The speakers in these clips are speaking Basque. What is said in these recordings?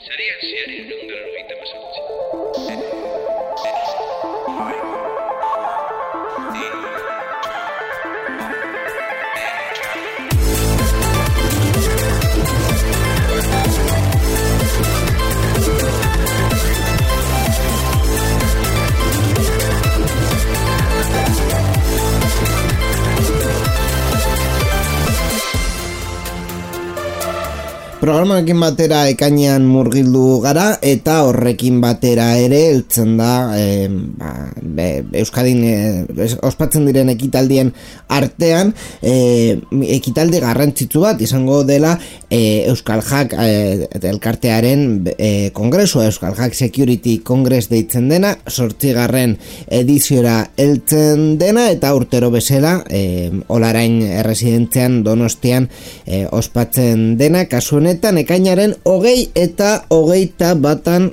Sarean zehar 198. Programarekin batera ekainean murgildu gara eta horrekin batera ere heltzen da Euskadin ospatzen diren ekitaldien artean ekitaldi garrantzitsu bat izango dela Euskal Hack elkartearen kongresua, Euskal Hack Security Congress deitzen dena, 8. ediziora heltzen dena eta urtero bezala Olarain erresidentzian Donostian ospatzen dena, kasu honetan ekainaren 20 eta 21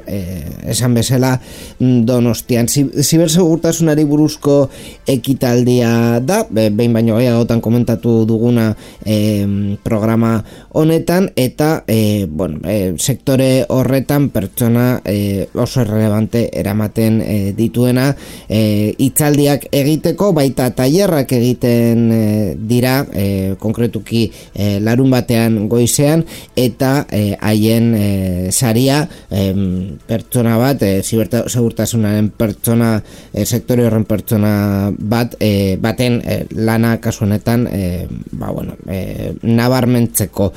esan bezala Donostian. Zibersegurtasunari buruzko ekitaldia da, behin baino gehiagotan komentatu duguna programa honetan eta sektore horretan pertsona oso relevante eramaten dituena hitzaldiak egiteko, baita tailerrak egiten dira konkretuki larun batean goizean eta haien saria pertsona bat, zibersegurtasunaren pertsona, sektore horren pertsona baten lana kasu honetan nabarmentzeko.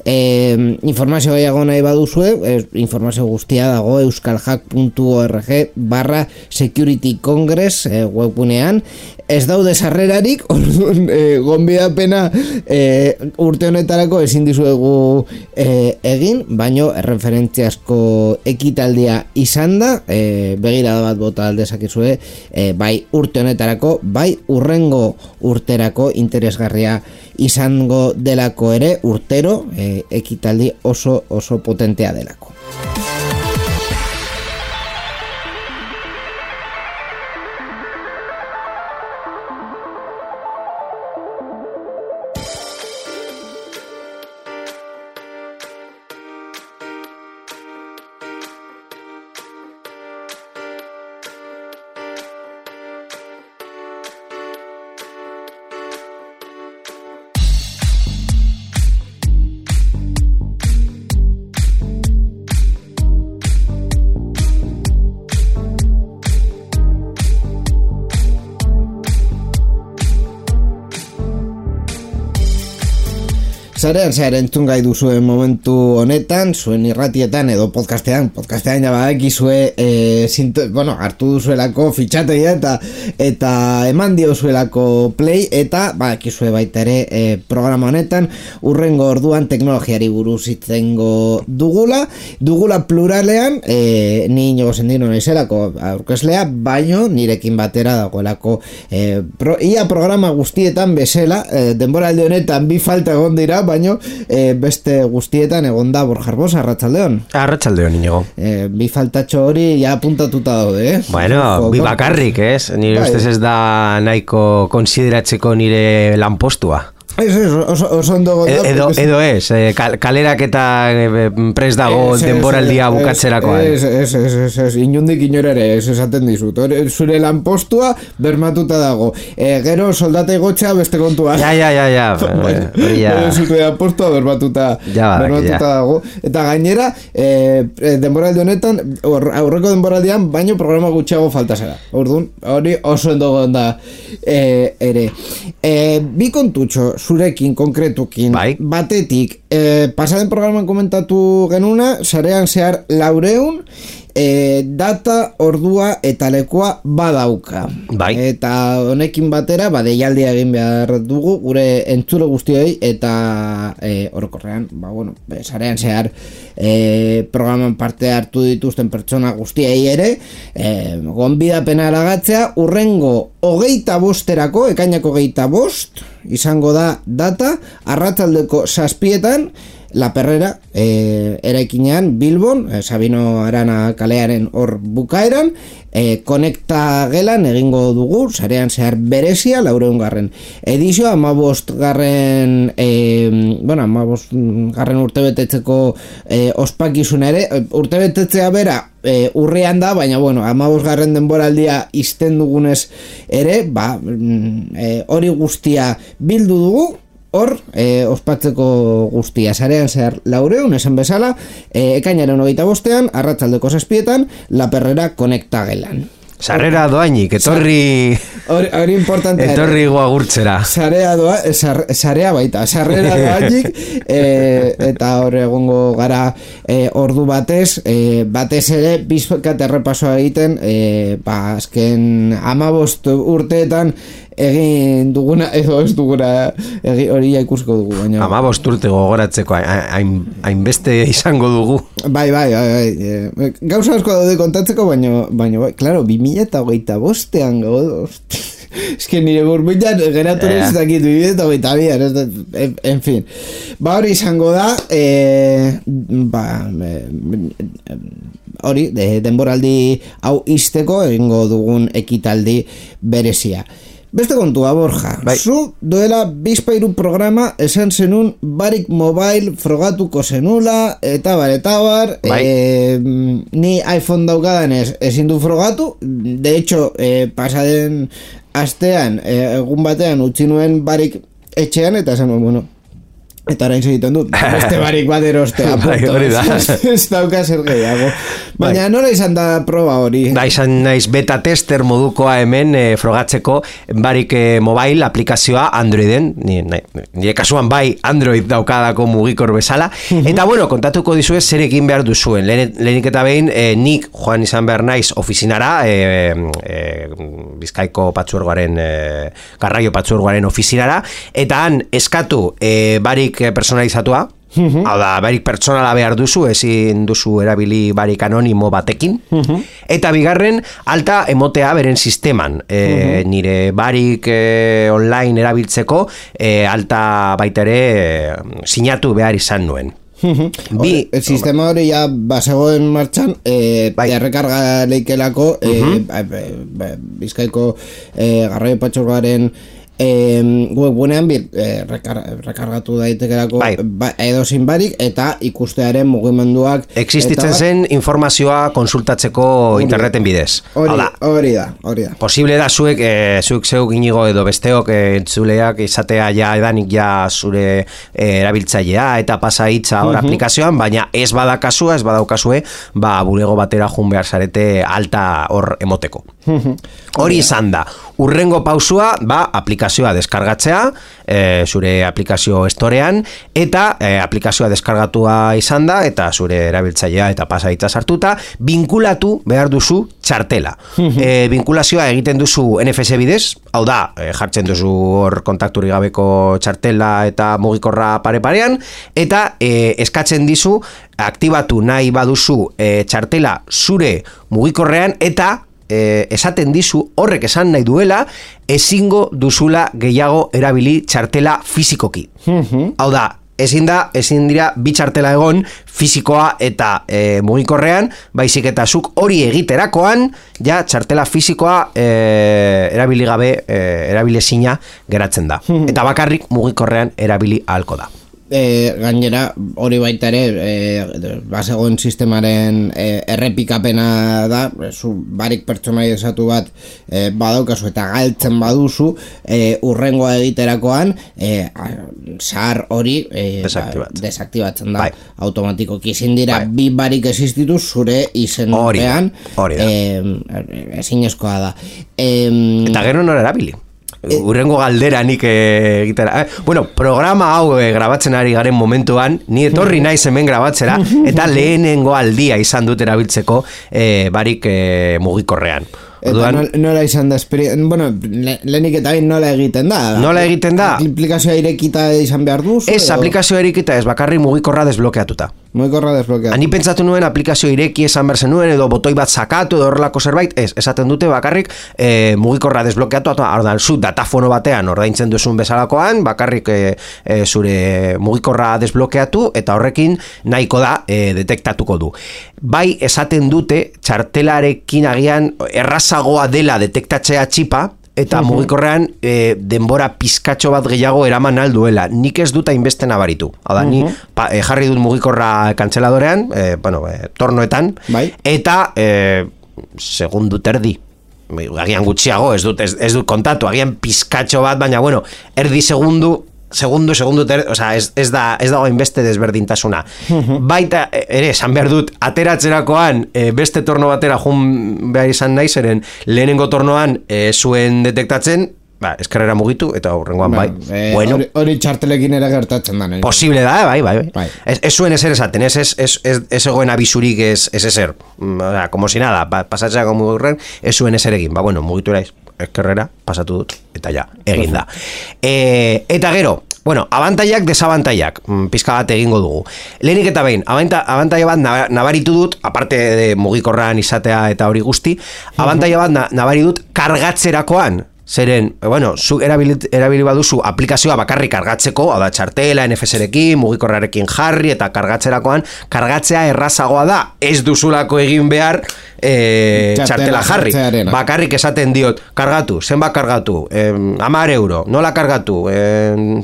Informazio gehiago nahi baduzue, informazio guztia dago euskalhack.org/security congress webgunean. Ez daude sarrerarik, gonbidapena urte honetarako ezin dizuegu egin, baino erreferentziazko ekitaldia izan da, begirada bat bota aldezakizue, bai urte honetarako, bai urrengo urterako interesgarria izango delako ere, urtero ekitaldi oso potentea delako. Zarean zehar entzun gai duzuen momentu honetan, zuen irratietan edo podcastean ja badakizue hartu duzuelako fitxategia eta eman diozuelako play eta badakizue baita ere programa honetan urrengo orduan teknologiari buruz hitzengo dugula pluralean, ni Inigo Sendino naizelako aurkezlea, baino nirekin batera dagoelako ia programa guztietan bezala, denboraldi honetan bi falta egon dira, baino beste guztietan egonda Borja Arbosa, arratsaldeon. Arratsaldeon, Inigo. Bi faltatxo hori ja apuntatuta daude, Bueno, bi bakarrik, ez? Nire ustez ez da nahiko konsideratzeko nire lanpostua. Oso ondo edo ez, kalerak eta prest dago denboraldia bukatzerakoan. Ez, inundik inorare, ez esaten dizut. Zure lanpostua bermatuta dago. Gero soldata igotxa beste kontua. Ja. Zure lanpostua bermatuta dago. Eta gainera, denboraldi honetan, aurreko denboraldian, baino programa gutxiago falta zera. Orduan, hori oso ondo gonda ere. Bi kontutxo, zurekin, konkretukin, batetik, pasaden programan komentatu genuna, sarean zehar 400 data, ordua eta lekua badauka. Eta honekin batera, deialdia egin behar dugu, gure entzule guztioi eta orokorrean, sarean zehar programan parte hartu dituzten pertsona guztiei ere, gonbidapena eragatzea, urrengo 25erako, ekainako 25, izango da data, arratsaldeko 7etan, La Perrera, eraikinean Bilbon, Sabino Arana kalearen hor bukaeran, konekta gelan egingo dugu, sarean zehar berezia, 400. edizioa, 15. 15. urtebetetzeko ospakizuna ere, urtebetetzea bera, urrian da, baina, 15. denboraldia izten dugunez ere, hori guztia bildu dugu, hor, ospatzeko guztia sarean zehar 400, esan bezala, ekainaren 25, arratsaldeko 7, La Perrera konekta gelan. Sarrera doainik, etorri... Hori importantea. Etorri guagurtzera. Sarea baita, sarrera doainik, eta hor egongo gara ordu batez ere, bizkat errepasoa egiten, azken 15 urteetan, egin duguna edo ez duguna hori ikusiko dugu, baina 15 urte gogoratzeko hainbeste izango dugu. Bai, gauza asko daude kontatzeko, baina claro, 2025an gaude. Es que nire burbuilan geratu ez dakit 2022, en fin. Hori izango da, hori, denboraldi hau izteko egingo dugun ekitaldi berezia. Beste kontua, Borja, zu duela bizpairu programa esan zenun Barik Mobile frogatuko zenula, eta bar, ni iPhone daukadan ezin du frogatu, de hecho, pasaden astean, egun batean utzi nuen Barik etxean, eta esan nuen, eta orain egiten dut, beste Barik bat erostea, ez dauka zer gehiago. Baina nola izan da proba hori? Izan naiz beta tester modukoa hemen frogatzeko Barik Mobile aplikazioa Androiden, nire kasuan bai Android daukadako mugikor bezala, eta kontatuko dizuez zer egin behar duzuen. Lehenik eta behin, nik joan izan behar naiz ofizinara, Bizkaiko patzuergoaren, Garraio patzuergoaren ofizinara, eta han eskatu Barik personalizatua, hau da, Barik pertsonala behar duzu, ezin duzu erabili Barik anonimo batekin, eta bigarren alta emotea beren sisteman, nire Barik online erabiltzeko alta baita ere sinatu behar izan nuen. El sistema hori ya basegoen martxan, errekarga leikelako Bizkaiko Garraio patzuergoaren webunean rekargatu daitekerako edozein Barik eta ikustearen mugimenduak existitzen zen informazioa konsultatzeko interneten bidez. Hori da. Posible da zuek zeuk inigo edo besteok entzuleak izatea ja edanik ja zure erabiltzailea eta pasa hitza hor aplikazioan, baina ez badakazua, ez badaukazue, bulego batera jun behar zarete alta hor emoteko. Hori izan da. Urrengo pausua, aplikazioa deskargatzea, zure aplikazio estorean, eta aplikazioa deskargatua izan da, eta zure erabiltzailea eta pasaitza sartuta, binkulatu behar duzu txartela. Binkulazioa egiten duzu NFC bidez, hau da, jartzen duzu hor kontakturi gabeko txartela eta mugikorra pare-parean, eta eskatzen dizu, aktibatu nahi baduzu txartela zure mugikorrean, eta esaten dizu horrek esan nahi duela ezingo duzula gehiago erabili txartela fizikoki. Hau da, ezin dira bi txartela egon fizikoa eta mugikorrean, baizik eta zuk hori egiterakoan ja txartela fizikoa erabili gabe erabilezina geratzen da. Eta bakarrik mugikorrean erabili ahalko da. Gainera hori baita ere basegoen sistemaren errepikapena da, zu Barik pertsonalizatu bat badaukazu eta galtzen baduzu, urrengoa egiterakoan zahar hori desaktibatzen da automatikoki. Ezin dira bi Barik existitu zure izenpean, ezinezkoa da. Eta gero nora erabili? Urrengo galdera nik egitera. Programa hau grabatzen ari garen momentuan, ni etorri naiz hemen grabatzera, eta lehenengo aldia izan dut erabiltzeko Barik mugikorrean. Eta nola izan da lehenik eta nola egiten da? Nola egiten da? Aplikazioa irekita izan behar duzu? Ez, aplikazioa irekita ez, bakarri mugikorra desblokeatuta. Mugikorra desblokeatu. Ani pentsatu nuen aplikazio ireki esan berzen nuen, edo botoi bat sakatu, edo horrelako zerbait, esaten dute bakarrik mugikorra desblokeatu, ordan zu datafono batean ordaintzen duzun bezalakoan, bakarrik zure mugikorra desblokeatu, eta horrekin nahiko da detektatuko du. Bai, esaten dute txartelarekin agian errazagoa dela detektatzea txipa, eta mugikorrean denbora pizkatxo bat gehiago eraman alduela. Nik ez dut hainbeste nabaritu. Hau da, ni jarri dut mugikorra kantzeladorean, tornoetan, eta segundu terdi. Agian gutxiago, ez dut kontatu, agian pizkatxo bat, baina bueno, erdi segundu, osea, ez dago hainbeste desberdintasuna. Baita, ere, esan behar dut, ateratzerakoan beste torno batera jun behar izan nahi, zeren lehenengo tornoan zuen detektatzen, eskerrera mugitu, eta horrengoan bai. Bueno, hori txartelekin ere gertatzen da. Posible da, bai. Ez zuen ezer esaten, ez egoen abisurik ez ezer. Osea, como si nada, pasatzea como horren, ez zuen ezer egin. Bueno, mugitu eraiz. Eskerrera, pasatu dut, eta ja, egin da. Eta gero, bueno, abantaiak, desabantaiak, pizka bat egingo dugu. Lehenik eta behin, abantaia bat nabaritu dut, aparte de mugikorran izatea eta hori guzti, abantaia bat nabari dut kargatzerakoan. Zeren, bueno, zu erabili baduzu aplikazioa bakarrik kargatzeko, hau da txartela, NFC-rekin, mugikorrarekin jarri, eta kargatzerakoan, kargatzea errazagoa da, ez duzulako egin behar txartela jarri. Bakarrik esaten diot, kargatu, zenbat kargatu, 10 euro, nola kargatu,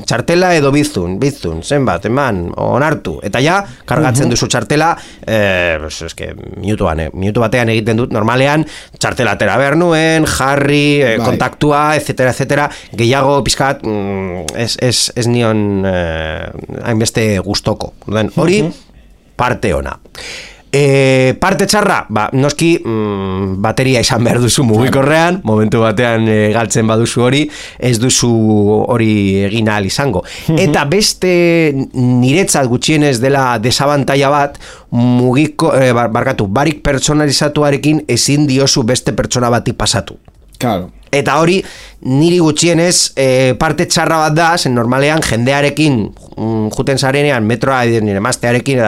txartela edo bizun, zenbat, eman, onartu, eta ja, kargatzen duzu txartela, minutu batean egiten dut, normalean, txartela atera behar nuen, jarri, kontaktua, etcétera, gehiago pizkat ez nion hainbeste gustoko. Hori parte ona. Parte txarra, noski bateria izan behar duzu mugikorrean, momentu batean galtzen baduzu hori, ez duzu hori egin ahal izango. Eta beste niretzat gutxienez dela desabantaia bat, barik pertsonalizatuarekin ezin diozu beste pertsona bati pasatu. Claro. Eta hori, niri gutxienez parte txarra bat da, zen normalean jendearekin juten zarenean, metroa nire maztearekin,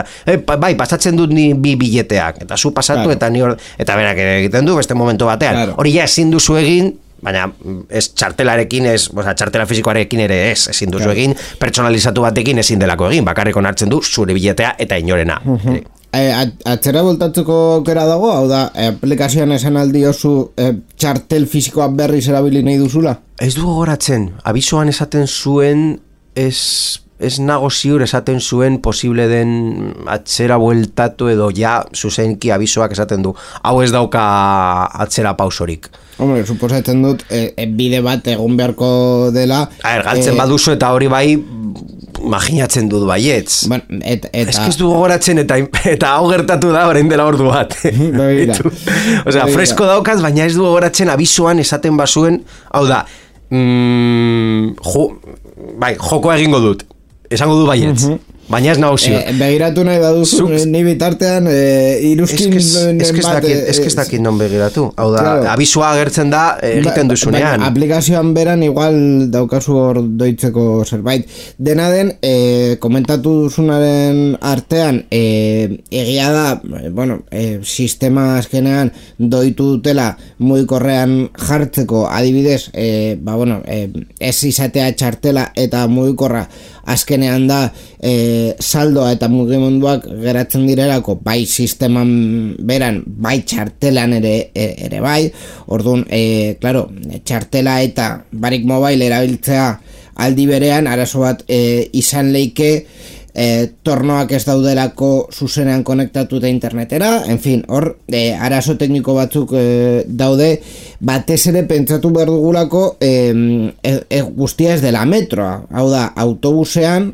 bai, pasatzen dut ni bi bileteak, eta zu pasatu, claro. Eta berak egiten du, beste momentu batean. Claro. Hori ja ezin duzu egin, baina ez txartelarekin, txartela fizikoarekin ere ezin duzu egin, pertsonalizatu batekin ezin delako egin, bakarrik onartzen du zure biletea eta inorena. Atzera voltatzeko aukera dago, hau da, aplikazioan esan aldiozu txartel fizikoa berriz erabili nahi duzula? Ez du gogoratzen, abisoan esaten zuen, ez nago ziur esaten zuen posible den atzera bueltatu edo ja zuzenki abisoak esaten du. Hau ez dauka atzera pausorik. Hombre, suposatzen dut, bide bat egon beharko dela... galtzen baduzu eta hori bai... Imaginatzen dut baietz. Ez du gogoratzen eta hau gertatu da orain dela ordu bat. Osea, fresko daukaz, baina ez du gogoratzen abisoan esaten bazuen, hau da, jokoa egingo dut. Esango du baietz. Baina ez nago zio. Begiratu nahi baduzu, ni bitartean iruzkin bat... Ez que ez dakit non begiratu. Hau da, abisua agertzen da egiten duzunean. Aplikazioan beran igual daukazu hor doitzeko zerbait. Dena den, komentatu duzunaren artean, egia da, sistema azkenean doitu dutela mugikorrean jartzeko, adibidez, ez izatea txartela eta mugikorra azkenean da saldoa eta mugimenduak geratzen direlako bai sisteman beran, bai txartelan ere bai. Orduan, claro, txartela eta barik mobile erabiltzea aldi berean arazo bat izan leike tornoak ez daudelako zuzenean konektatuta internetera, en fin, hor arazo tekniko batzuk daude, batez ere pentsatu behar dugulako guztia ez dela metroa, hau da, autobusetan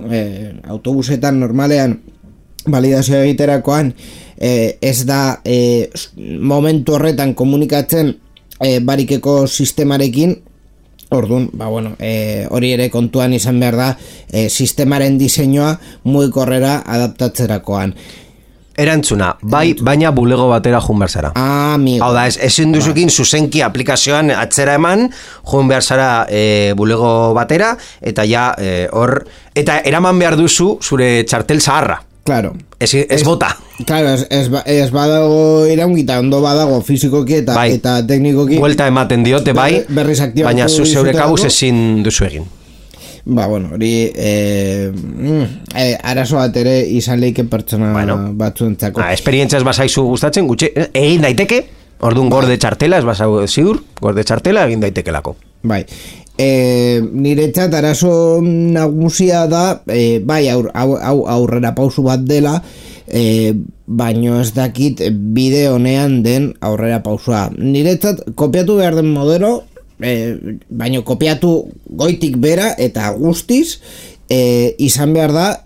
normalean validazioa egiterakoan ez da momentu horretan komunikatzen barikeko sistemarekin. Orduan, hori ere kontuan izan behar da sistemaren diseinua mugikorrera adaptatzerakoan. Erantzuna, bai, baina bulego batera joan behar zara. Amigo. Hau da, ezin duzukin zuzenki aplikazioan atzera eman, joan behar zara bulego batera, eta ja hor, eta eraman behar duzu zure txartel zaharra. Claro. Ez bota. Claro, ez badago iraungita, ondo badago fizikoki eta teknikoki. Buelta ematen diote bai, berriz aktibatu baina zu zeure kabuz dizutelako. ezin duzu egin. Ba, bueno, hori arazo bat ere izan leiken pertsona batzuentzako. Esperientziaz bazaizu gustatzen, gutxe, egin daiteke, orduan gorde txartela, ez bazau ziur, gorde txartela egin daitekelako. Bai, niretzat arazo nagusia da, bai, aurrera pausu bat dela, baino ez dakit bide honean den aurrera pausua. Niretzat kopiatu behar den modelo, baino kopiatu goitik bera eta guztiz, izan behar da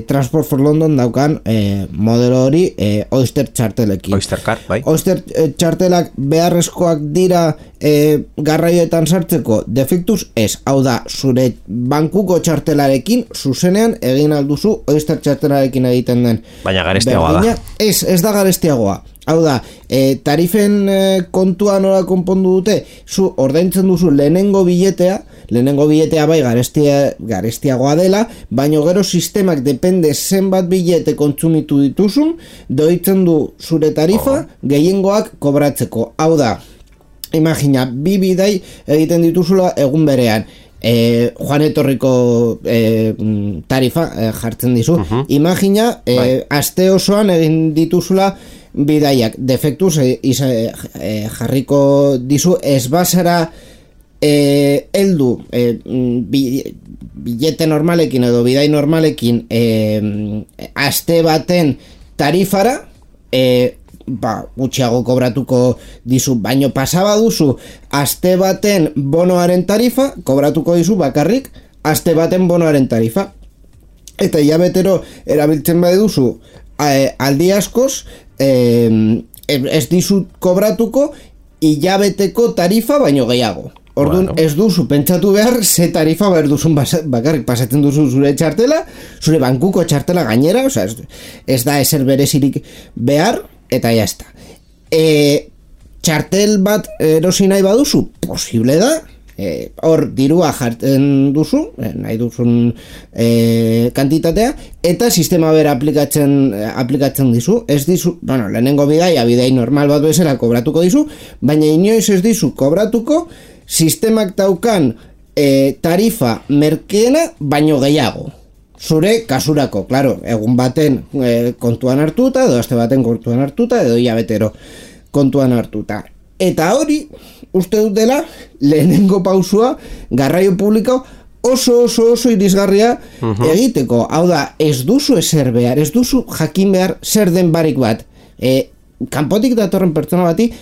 Transport for London daukan modelo hori Oyster txartelekin. Oyster Car, bai. Oyster txartelak beharrezkoak dira garraioetan sartzeko defektuz ez, hau da, zure bankuko txartelarekin zuzenean egin alduzu Oyster txartelarekin egiten den. Baina garestiagoa da. Ez da garestiagoa. Hau da, tarifen kontua nola konpondu dute, zu ordaintzen duzu lehenengo biletea bai garestiagoa dela, baino gero sistemak depende zenbat bilete kontsumitu dituzun, doitzen du zure tarifa gehiengoak kobratzeko. Hau da, imagina, 2 bidai egiten dituzula egun berean. Joan etorriko tarifa jartzen dizu. Imagina, aste osoan egin dituzula bidaiak defektuz jarriko dizu, ez bazara heldu bilete normalekin edo bidai normalekin aste baten tarifara, gutxiago kobratuko dizu, baino pasaba duzu aste baten bonoaren tarifa, kobratuko dizu bakarrik aste baten bonoaren tarifa, eta hilabetero erabiltzen baduzu aldi askoz, ez dizut kobratuko hilabeteko tarifa baino gehiago. Orduan, ez duzu pentsatu behar ze tarifa behar duzun bakarrik pasatzen duzu zure txartela, zure bankuko txartela gainera, ez da ezer berezirik behar, eta jazta. Txartel bat erosi nahi baduzu, posible da, hor dirua jartzen duzu, nahi duzun kantitatea, eta sistema bera aplikatzen dizu, ez dizu, lehenengo bidai normal bat bezala kobratuko dizu, baina inoiz ez dizu kobratuko sistemak daukan tarifa merkeena baino gehiago. Zure kasurako, claro, egun baten kontuan hartuta, edo aste baten kontuan hartuta, edo hilabetero kontuan hartuta. Eta hori, uste dut dela, lehenengo pausua, garraio publiko oso irisgarria egiteko. Hau da, ez duzu ezer behar, ez duzu jakin behar zer den barik bat. Kanpotik datorren pertsona bati,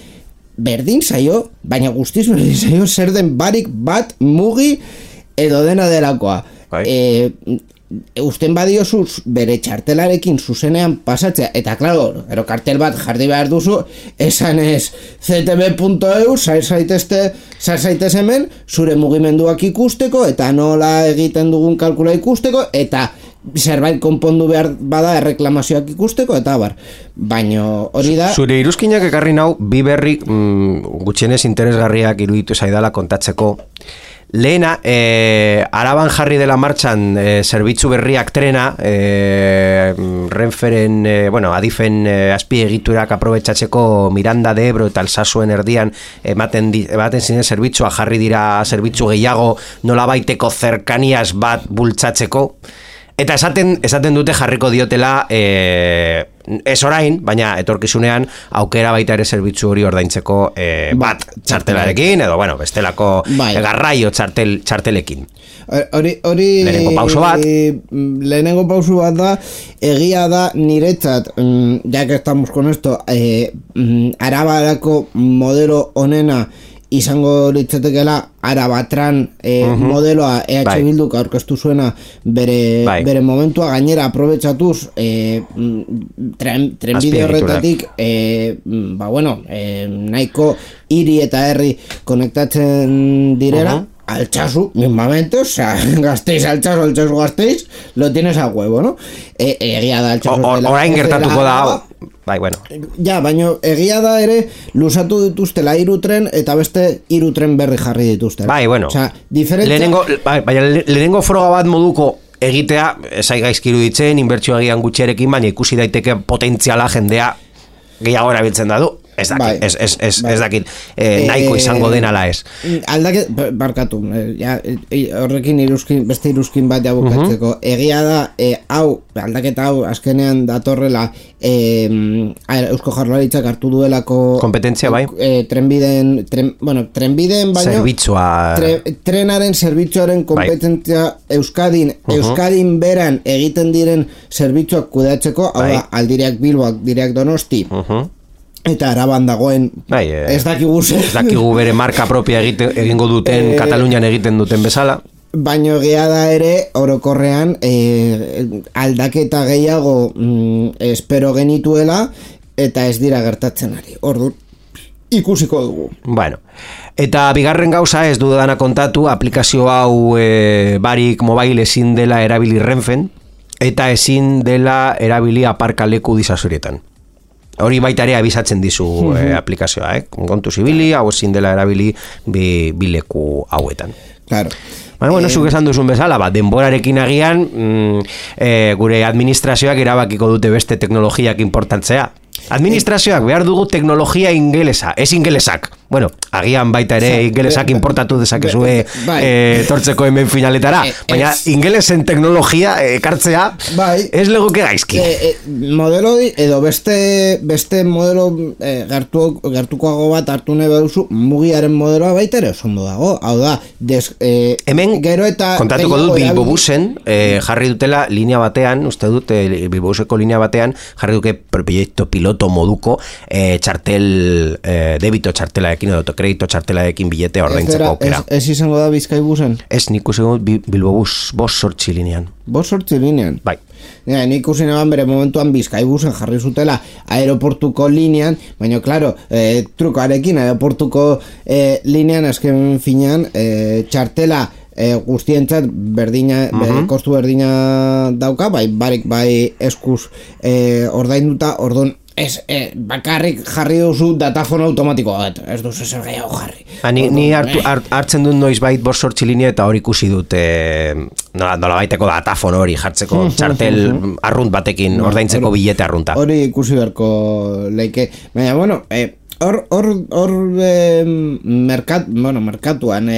berdin zaio, baina guztiz berdin zaio zer den barik bat mugi edo dena delakoa. Usten badiozu bere txartelarekin zuzenean pasatzea, eta claro, kartel bat jarri behar duzu, esan ez ctb.eu, sar zaitez hemen, zure mugimenduak ikusteko, eta nola egiten dugun kalkula ikusteko, eta zerbait konpondu behar bada erreklamazioak ikusteko, eta baino hori da. Zure iruzkinak ekarri nau, bi berri gutxienez interesgarriak iruditu zaidala kontatzeko. Lehena, Araban jarri dela martxan zerbitzu berriak trena, Renferen, Adifen azpiegiturak aprobetxatzeko Miranda de Ebro eta Alsasuen erdian ematen ziren zerbitzua, jarri dira zerbitzu gehiago nolabaiteko zerkaniaz bat bultzatzeko. Eta esaten dute jarriko diotela ez orain, baina etorkizunean aukera baita ere zerbitzu hori ordaintzeko bat txartelarekin, edo bestelako garraio txartelekin. Lehenengo pauso bat da, egia da niretzat, ya que estamos con esto, Arabarako modelo honena izango litzatekeela Arabatran modeloa Bilduk aurkeztu zuena bere momentua, gainera aprobetxatuz trenbide horretatik nahiko hiri eta herri konektatzen direla, Altsasu, mismamente, o sea, Gasteiz, Altsasu, Gasteiz, lo tienes a huevo, ¿no? Egia da Altsasu. Orain gertatuko da, Ja, baina egia da ere luzatu dituztela 3 tren eta beste 3 tren berri jarri dituzte. Lehenengo froga bat moduko egitea, zai gaizki iruditzen, inbertsio agian gutxiarekin, baina ikusi daiteke potentziala jendea gehiago erabiltzen da du. Ez dakit, ez dakit nahiko izango denala ez. Aldaket, barkatu, horrekin beste iruzkin bat jabukatzeko. Egia da, aldaketa hau azkenean datorrela Eusko Jaurlaritzak hartu duelako kompetentzia bai. Trenbideen baino zerbitzua trenaren zerbitzuaren kompetentzia Euskadin beran egiten diren zerbitzuak kudeatzeko, hau da, Aldireak Bilboak, Direak Donosti, eta Araban dagoen ez dakigu bere marka propia egingo duten Katalunian egiten duten bezala. Baina egia da ere orokorrean aldaketa gehiago espero genituela eta ez dira gertatzen ari. Orduan ikusiko dugu. Bueno, eta bigarren gauza ez dudana kontatu, aplikazio hau barik mobile ezin dela erabili Renfen eta ezin dela erabili aparkaleku disasurietan. Hori baita ere abisatzen dizu aplikazioa, kontu zibili, hau ezin dela erabili bileku hauetan. Claro. Bueno, zuk esan duzun bezala, denborarekin agian gure administrazioak erabakiko dute beste teknologiak importantzea. Administrazioak behar dugu teknologia ingelesa, ez ingelesak. Bueno, agian baita ere ingelesak importatu dezakezue tortzeko hemen finaletara, baina ingelesen teknologia ekartzea ez legoke gaizki. Modelo edo beste modelo gertukoago bat hartu nahi baduzu, mugiaren modeloa baita ere oso dago. Hau da, hemen kontatuko dut Bilbobusen jarri dutela linea batean, uste dut Bilbobuseko linea batean jarri duke proiektu piloto moduko txartel debito txartelaekin edo autokredito txartelaekin bilete ordaintzeko aukera. Ez izango da Bizkaibusen? Ez, nik usingo Bilbobus 5 linean. 5 linean? Bai. Nik usinean bere momentuan Bizkaibusen jarri zutela aeroportuko linean, baina klaro, trukoarekin aeroportuko linean azken finean txartela guztientzat berdina, kostu berdina dauka, barik eskuz ordainduta, orduan bakarrik jarri duzu datafono automatikoa bat, ez duzu zer gehiago jarri. Ni hartzen dut noiz bait 5 linea eta hori ikusi dut nola baiteko datafono hori jartzeko txartel arrunt batekin ordaintzeko bilete arrunta. Hori ikusi beharko leike, baina bueno, hor merkatuan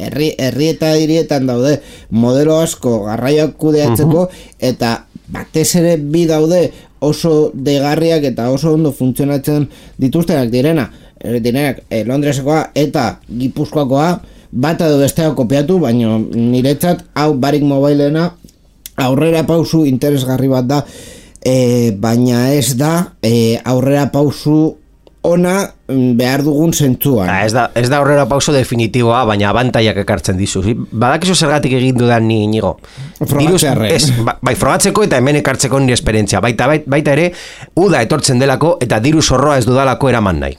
herri eta hirietan daude modelo asko garraioak kudeatzeko eta batez ere bi daude oso deigarriak eta oso ondo funtzionatzen dituztenak direnak Londresekoa eta Gipuzkoakoa bat edo bestea kopiatu, baina niretzat hau barik mobilena aurrera pausu interesgarri bat da, baina ez da aurrera pausu ona behar dugun zentzuan. Ez da aurrera pauso definitiboa, baina abantaiak ekartzen dizu. Badakizu zergatik egin dudan ni Inigo. Bai, frogatzeko eta hemen ekartzeko nire esperientzia. Baita ere, uda etortzen delako eta diru zorroa ez dudalako eraman nahi.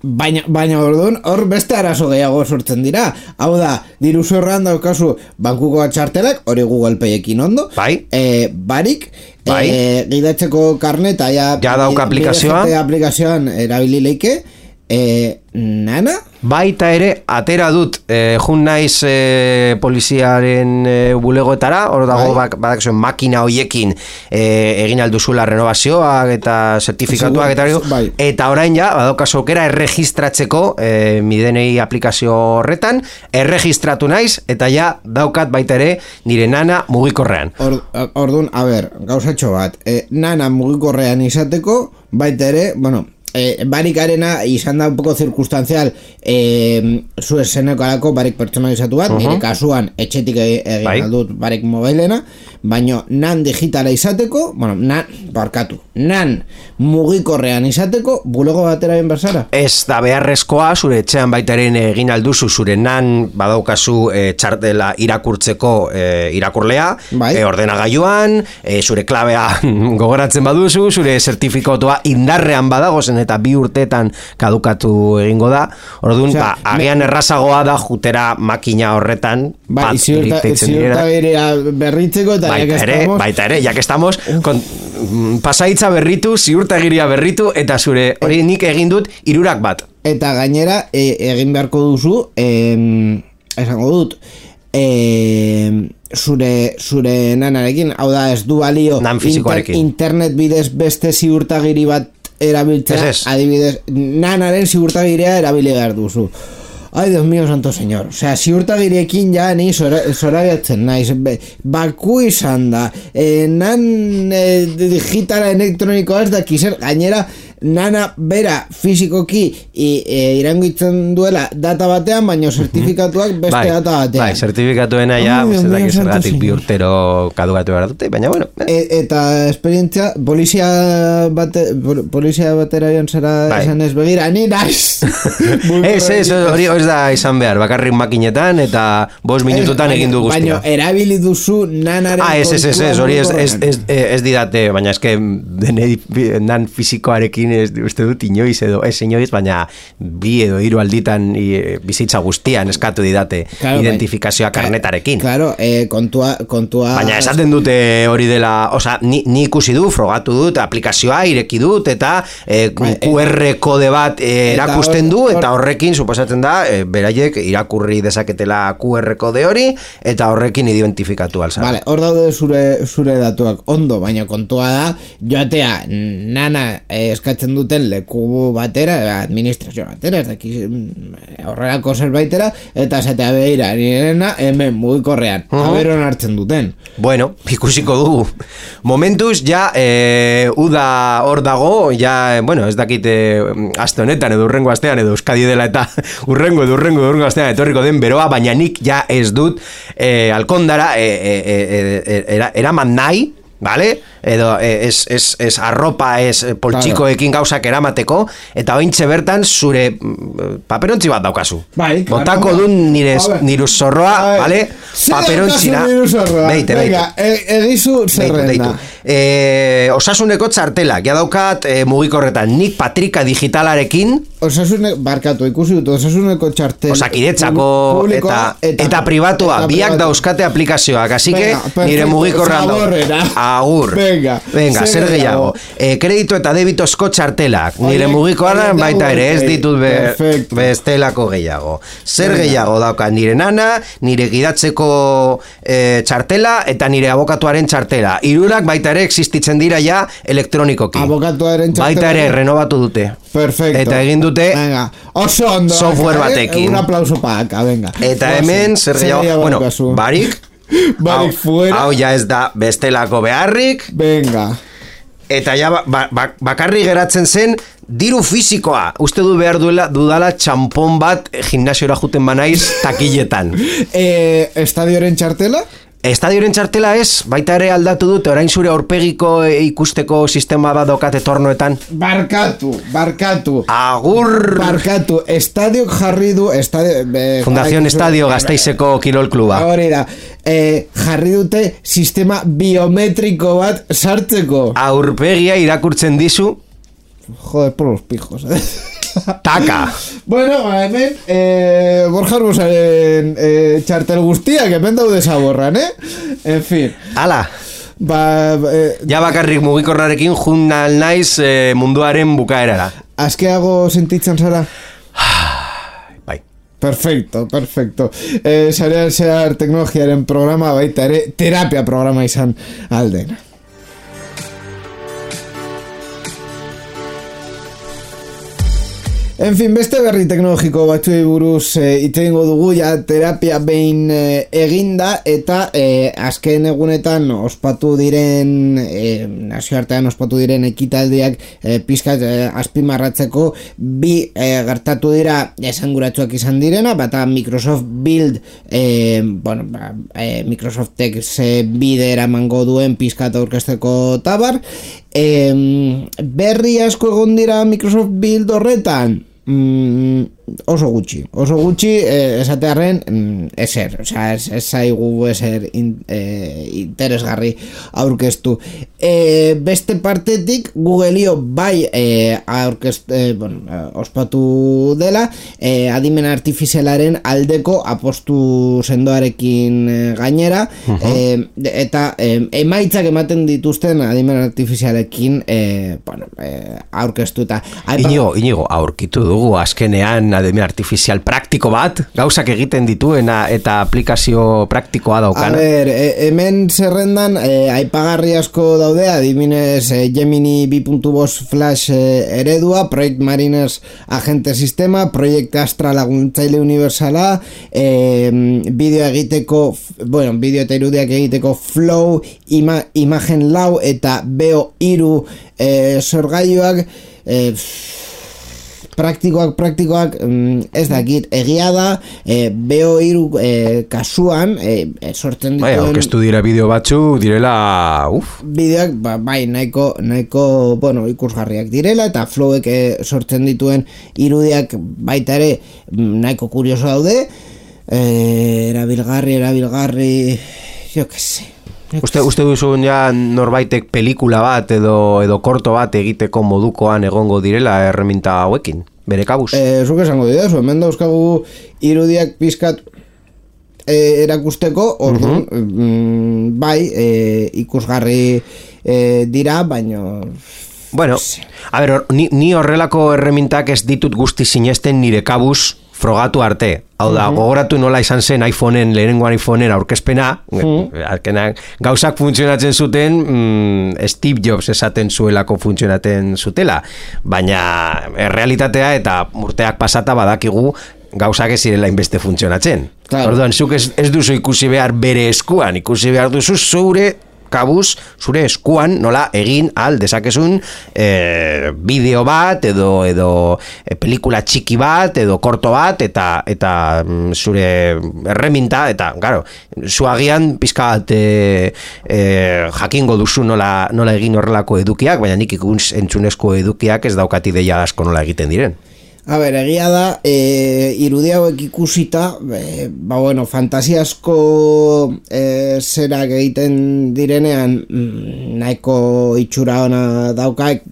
Baina orduan hor beste arazo gehiago sortzen dira. Hau da, diru zorroan daukazu bankuko txartelak, hori Google Payekin ondo, barik, gidatzeko karneta ja dauka aplikazioan erabili leike, Nana? Baita ere, atera dut jun naiz poliziaren bulegoetara, hor dago badakizuen makina hoiekin egin alduzula renovazioak eta zertifikatuak eta orain ja, badaukazu aukera erregistratzeko midenei aplikazio horretan, erregistratu naiz eta ja daukat baita ere nire Nana mugikorrean. Orduan, gauzatxo bat, Nana mugikorrean izateko, baita ere, barikarena izan da un poco circunstancial zu esenekarako barik pertsonalizatu bat, nire kasuan etxetik egin aldut barik mobilena, baina nan digitala izateko, nan mugikorrean izateko, bulego batera bien bersara. Ez da beharrezkoa, zure etxean baitaren egin alduzu, zure nan badaukazu txartela irakurtzeko irakurlea, ordenagailuan, zure klabea gogoratzen baduzu, zure zertifikatua indarrean badagozen eta 2 urteetan kadukatu egingo da. Orduan, agian errazagoa da jutera makina horretan ziurta berritzeko eta baita ere, jak estamos pasaitza berritu, ziurtagiria berritu eta zure hori nik egin dut 3 bat. Eta gainera egin beharko duzu esango dut zure nanarekin, hau da ez du balio Nan fisikoarekin. internet bidez beste ziurtagiri bat erabiltzea, Ez. adibidez, nanaren ziurtagiria erabili behar duzu. Ai, Dios mío, santo señor. Osea, ziurtagiriekin ja ni zorabiatzen naiz. Baku izan da. Digitala elektronikoa ez daki zer. Gainera, nana bera fizikoki irangitzen duela data batean, baina zertifikatuak beste data batean. Bai, zertifikatuena ja, zergatik bi urtero kadugatu behar dute, baina bueno. Eta esperientzia, polizia batera joan zara esan ez begira, ni naiz. Ez, hori ez da izan behar, bakarrik makinetan eta 5 minututan egin du guztia. Baina erabili duzu nanaren ez, hori ez didate, baina eske nan fizikoarekin ez uste dut inoiz edo ez inoiz, baina 2 edo 3 alditan bizitza guztian eskatu didate identifikazioa karnetarekin. Claro, kontua... Baina esaten dute hori dela, oza, ni ikusi du, frogatu dut, aplikazioa ireki dut, eta QR kode bat erakusten du, eta horrekin, suposatzen da, beraiek irakurri dezaketela QR kode hori, eta horrekin identifikatu alza. Vale, hor daude zure datuak ondo, baina kontua da, joatea, nana eskatzen duten leku batera, administrazio batera, ez daki horrelako zerbaitera, eta esatea behira, nirena, hemen mugikorrean, haberon hartzen duten. Bueno, ikusiko dugu. Momentuz, ja, uda hor dago, ja, bueno, ez dakit aste honetan, edo urrengo astean, edo Euskadi dela, eta urrengo astean etorriko den beroa, baina nik ja ez dut alkondara eraman nahi, vale? Edo ez arropa, ez poltsikoekin gauzak eramateko, eta ointxe bertan zure paperontzi bat daukazu. Bai, botako dun nire zorroa, vale? Paperontzina. Beite. Egizu zerrena. Osasuneko txartelak, ja daukat mugikorretan, nik patrika digitalarekin, barkatu, ikusi dut, osasuneko txartel Osakidetzako eta pribatua, biak dauzkate aplikazioak, así que nire mugikorrean agur. Venga, zer gehiago. Kredito eta debitozko txartelak, nire mugikoan baita ere, ez ditut bestelako gehiago. Zer gehiago dauka, nire nana, nire gidatzeko txartela eta nire abokatuaren txartela. Hirurak baita ere existitzen dira ja elektronikoki. Abokatuaren txartela. Baita ere renovatu dute. Perfecto. Eta egin dute oso ondo, software batekin. Un aplauso pa acá, venga. Eta hemen, zer gehiago, bueno, barik fuera. Hau ja ez da bestelako beharrik. Venga. Eta ja bakarri geratzen zen diru fisikoa. Uste du behar dudala txampon bat gimnasiora juten banaiz takiletan. Estadioren txartela? Estadioren txartela ez, baita ere aldatu dute, orain zure aurpegiko ikusteko sistema bat dokate tornoetan. Barkatu. Agur! Barkatu, estadiok jarri du... Fundación Estadio Gasteizeko Kirol Kluba. Hori da, jarri dute sistema biometriko bat sartzeko. Aurpegia irakurtzen dizu. Joder, por los pijos, Taka. Bueno, hemen Borja Arruzaren txartel guztiak hemen daude zaborran, En fin. Ala. Ja bakarrik mugikorrarekin jundal naiz munduaren bukaerara. Azkeago sentitzen zara? Bai. Perfecto. Sarean zehar teknologiaren programa baita ere terapia programa izan aldena. En fin, beste berri teknologiko batzuei buruz hitz egingo dugu, ja terapia behin eginda, eta azken egunetan ospatu diren nazioartean ospatu diren ekitaldiak pizkat azpimarratzeko bi gertatu dira esanguratsuak izan direna, bata Microsoft Build, Microsoftek bide eramango duen pizkat aurkezteko tabar, berri asko egon dira Microsoft Build horretan. Oso gutxi esatearren ezer, ez zaigu ezer interesgarri aurkeztu. Beste partetik Googleo bai ospatu dela adimen artifizialaren aldeko apostu sendoarekin gainera, eta emaitzak ematen dituzten adimen artifizialekin aurkeztuta. Inigo, aurkitu dugu azkenean adimen artifizial praktiko bat, gauzak egiten dituena eta aplikazio praktikoa daukana. A ber, hemen zerrendan aipagarri asko daude, adibinez Gemini 2.5 Flash eredua, Project Mariners agente sistema, Project Astra laguntzaile universala, bideo eta irudiak egiteko Flow, Imagen Lau eta Beo 3 sorgailuak, praktikoak ez dakit, egia da Beo 3 kasuan sortzen dituen aurkeztu dira bideo batzu direla bideoak bai nahiko ikusgarriak direla, eta Flowek sortzen dituen irudiak baita ere nahiko kurioso daude, erabilgarri jo que se. Uste duzun ja norbaitek pelikula bat edo korto bat egiteko modukoan egongo direla erreminta hauekin, bere kabuz? Zuk esango didazu, hemen dauzkagu irudiak pizkat erakusteko, orduan, ikusgarri dira, baino... Bueno, a ber, ni horrelako erremintak ez ditut guzti sinesten nire kabuz frogatu arte. Hau da, gogoratu nola izan zen lehenengoan iPhoneen aurkezpena, gauzak funtzionatzen zuten, Steve Jobs esaten zuelako funtzionatzen zutela, baina errealitatea eta urteak pasata badakigu gauzak ez zirela inbeste funtzionatzen. Claro. Orduan, zuk ez duzu ikusi behar bere eskuan, ikusi behar duzu zure kabuz, zure eskuan nola egin al dezakezun bideo bat edo pelikula txiki bat edo korto bat eta zure erreminta eta claro, zu agian pizka bat jakingo duzu nola egin horrelako edukiak, baina nik entzunezko edukiak ez daukat ideia asko nola egiten diren. A ber, egia da, irudi hauek ikusita, fantasiasko zerak egiten direnean nahiko itxura ona daukaik,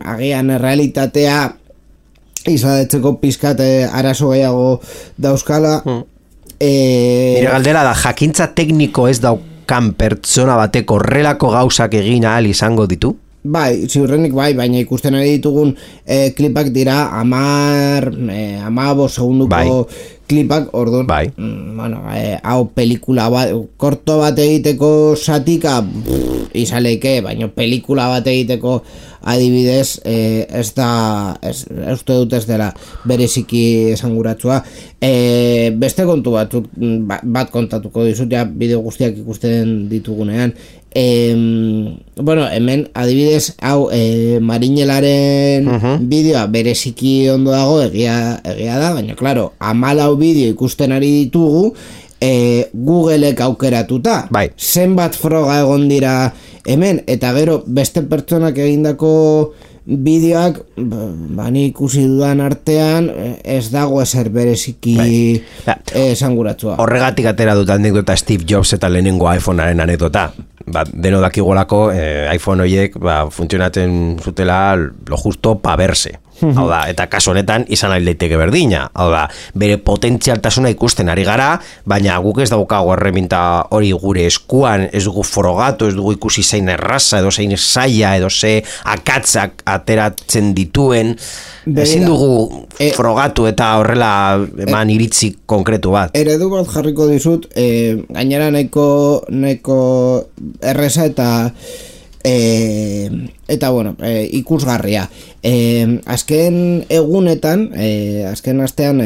agian errealitatea izadetzeko pizkat arazo gehiago dauzkala. Nire galdera da, jakintza tekniko ez daukan pertsona batek horrelako gauzak egin ahal izango ditu? Bai, ziurrenik bai, baina ikusten ari ditugun klipak dira 15 segunduko klipak, orduan, hau pelikula bat, korto bat egiteko satika izaleike, baina pelikula bat egiteko adibidez uste dut ez dela bereziki esanguratsua. Beste kontu bat kontatuko dizut, ja bideo guztiak ikusten ditugunean. Hemen adibidez hau Marinelaren bideoa bereziki ondo dago, egia da, baina claro, 14 bideo ikusten ari ditugu Googleek aukeratuta, zenbat froga egon dira hemen, eta gero beste pertsonak egindako bideoak bani ikusi dudan artean ez dago ezer bereziki esanguratsua. Horregatik atera dut anekdota Steve Jobs eta lehenengo iPhonearen anekdota. Deno dakigolako iPhone horiek funtzionatzen zutela lo justo pa verse. Hau da, eta kasu honetan izan ari daiteke berdina. Hau da, bere potentzialtasuna ikusten ari gara, baina guk ez daukago erreminta hori gure eskuan, ez dugu frogatu, ez dugu ikusi zein erraza, edo zein zaila, edo ze akatzak ateratzen dituen. Ezin dugu frogatu eta horrela eman iritzi konkretu bat. Eredu bat jarriko dizut, gainera nahiko erreza eta ikusgarria. Azken egunetan, azken astean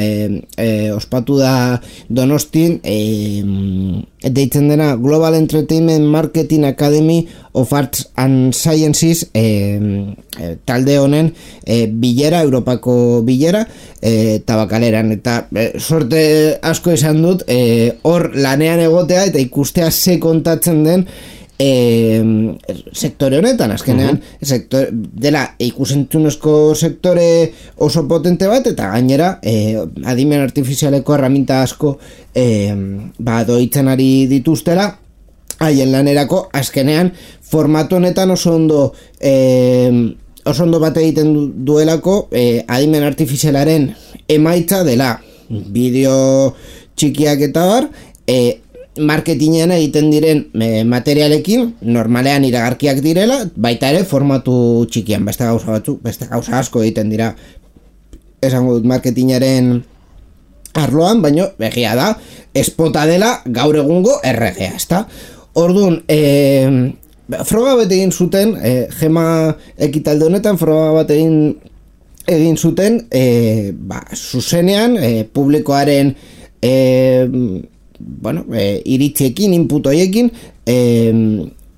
ospatu da Donostin deitzen dena Global Entertainment Marketing Academy of Arts and Sciences talde honen bilera, Europako bilera Tabakaleran, eta sorte asko izan dut hor lanean egotea eta ikustea ze kontatzen den sektore honetan, azkenean dela ikusentzunezko sektore oso potente bat, eta gainera adimen artifizialeko erraminta asko doitzen ari dituztela haien lanerako. Azkenean formatu honetan oso ondo bat egiten duelako adimen artifizialaren emaitza dela bideo txikiak eta bar, marketingean egiten diren materialekin normalean iragarkiak direla, baita ere formatu txikian, beste gauza asko egiten dira, esango dut marketingaren arloan, baino egia da espota dela gaur egungo erregea, ezta? Orduan, froga bat egin zuten, Gema ekitalde honetan froga bat egin zuten, zuzenean, publikoaren iritziekin, input horiekin,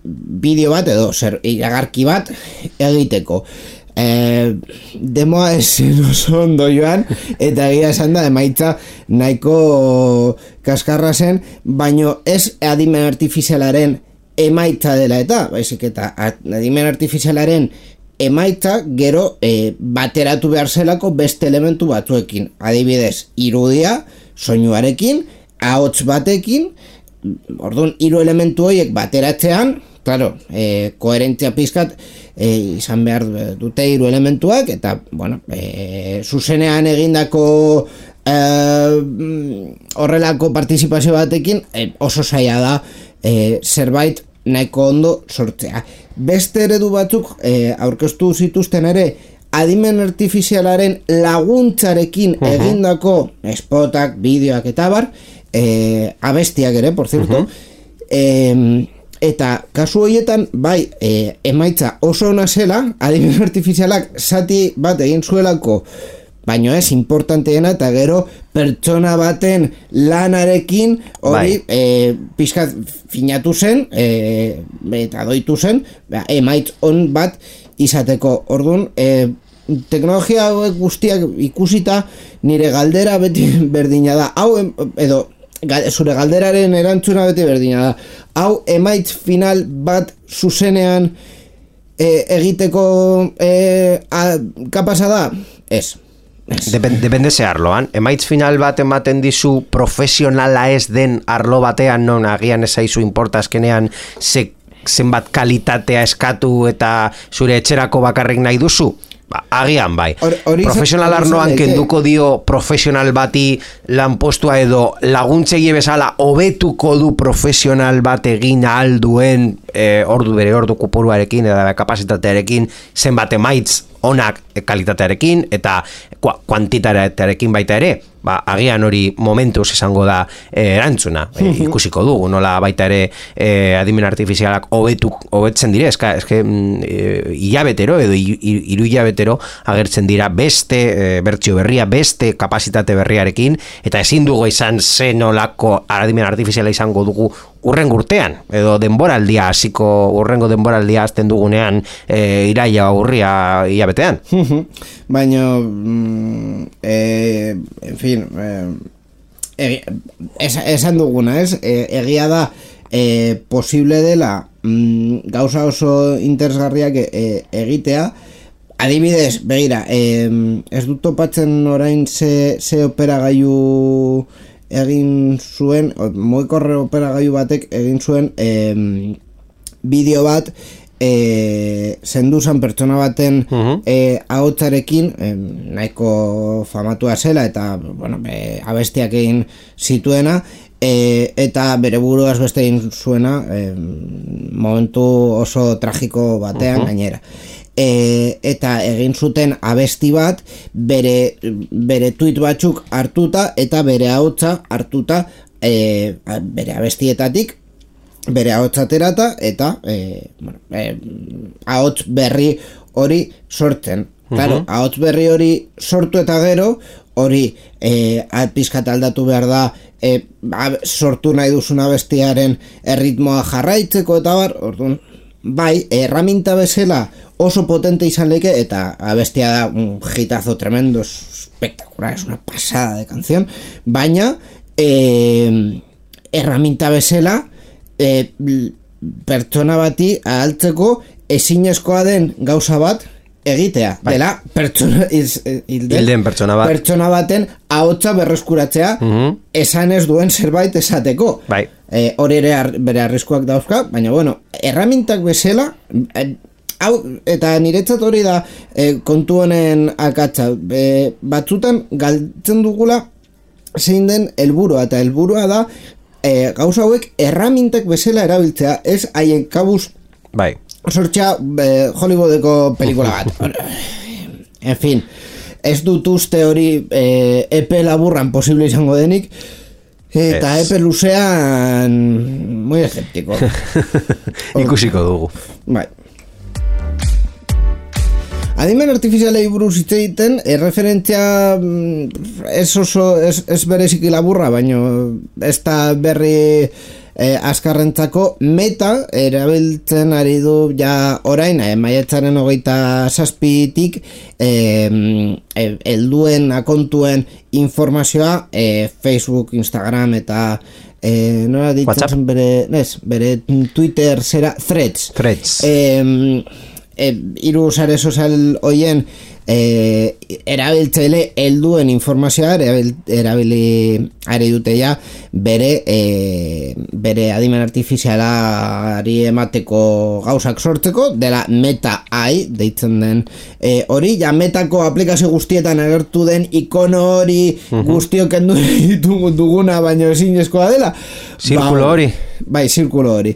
bideo bat edo iragarki bat egiteko. Demoa esen oso ondo joan, eta egia esan da emaitza nahiko kaskarra zen, baino ez adimen artifizialaren emaitza dela eta, baizik eta adimen artifizialaren emaitza gero bateratu behar zelako beste elementu batzuekin, adibidez irudia, soinuarekin, ahots batekin, orduan hiru elementu horiek bateratzean, claro, koherentzia pizkat izan behar dute hiru elementuak, eta, bueno, zuzenean egindako horrelako partizipazio batekin oso zaila da zerbait nahiko ondo sortzea. Beste eredu batzuk aurkeztu zituzten ere adimen artifizialaren laguntzarekin egindako spotak, bideoak eta bar, abestiak ere, por cierto, eta kasu horietan bai emaitza oso ona zela, adimen artifizialak zati bat egin zuelako, baino ez importanteena, eta gero pertsona baten lanarekin hori pizkat finatu zen eta doitu zen emaitz on bat izateko. Orduan, teknologia hauek guztiak ikusita nire galdera beti berdina da, hau edo zure galderaren erantzuna beti berdina da, hau emaitz final bat zuzenean egiteko kapasa da? Ez. Depende ze arloan. Emaitz final bat ematen dizu profesionala ez den arlo batean, non agian ez zaizu inporta azkenean zenbat kalitatea eskatu eta zure etxerako bakarrik nahi duzu? Agian bai. Profesional arloan kenduko dio profesional bati lanpostua edo laguntzegi bezala hobetuko du profesional bat egin ahal duen ordu kopuruarekin edo kapasitatearekin zenbat emaitz onak kalitatearekin eta kuantitatearekin baita ere, agian hori momentuz izango da erantzuna, ikusiko dugu, nola baita ere adimen artifizialak hobetzen dire, eske hilabetero edo hiru hilabetero agertzen dira beste bertsio berria, beste kapasitate berriarekin, eta ezin dugu izan zenolako adimen artifiziala izango dugu urrengo urtean, edo denboraldia hasiko urrengo denboraldia hasten dugunean iraila urria hilabetean. Baina en fin, esan duguna, ez? Egia da posible dela gauza oso interesgarriak egitea. Adibidez, begira, ez dut topatzen orain ze operagailu egin zuen, mugikorre operagailu batek egin zuen bideo bat zenduzan pertsona baten ahotsarekin nahiko famatua zela eta bueno, abestiak egin zituena eta bere buruaz beste egin zuena momentu oso tragiko batean gainera. Eta egin zuten abesti bat bere tweet batzuk hartuta eta bere ahotsa hartuta bere abestietatik bere ahotsa aterata eta ahots berri hori sortzen. Claro, ahots berri hori sortu eta gero hori pizkat aldatu behar da sortu nahi duzun abestiaren erritmoa jarraitzeko eta bar, orduan bai, herramienta bezala oso potente izan leke eta abestia da un hitazo tremendo, espectacular, es una pasada de canción, baina herramienta bezala pertsona bati ahaltzeko ezinezkoa den gauza bat egitea, dela hilden pertsona baten ahotsa berreskuratzea esan ez duen zerbait esateko. Hori ere bere arriskuak dauzka, baina bueno, herramientak bezala hau, eta niretzat hori da kontu honen akatsa, batzutan galtzen dugula zein den helburua, eta helburua da gauza hauek herramientak bezala erabiltzea, ez haien kabuz sortzea Hollywoodeko pelikula bat. En fin, ez dut uste hori epe laburran posible izango denik, eta epe luzean muy esceptiko. Ikusiko dugu. Bai. Adimen artifizialei buruz hitz egiten, referentzia ez bereziki laburra, baino ez da berri azkarrentzako. Meta erabiltzen ari du ja orain, maiatzaren 27tik helduen akontuen informazioa Facebook, Instagram eta nola ditzen zen bere Twitter zera Threads. Hiru sare sozial hoien erabiltzaile helduen informazioa erabili ari dute ja bere adimen artifizialari emateko gauzak sortzeko, dela Meta AI deitzen den hori, ja Metako aplikazio guztietan agertu den ikono hori guztiok kendu duguna baino ezinezkoa dela. Zirkulo hori. Bai, zirkulo hori.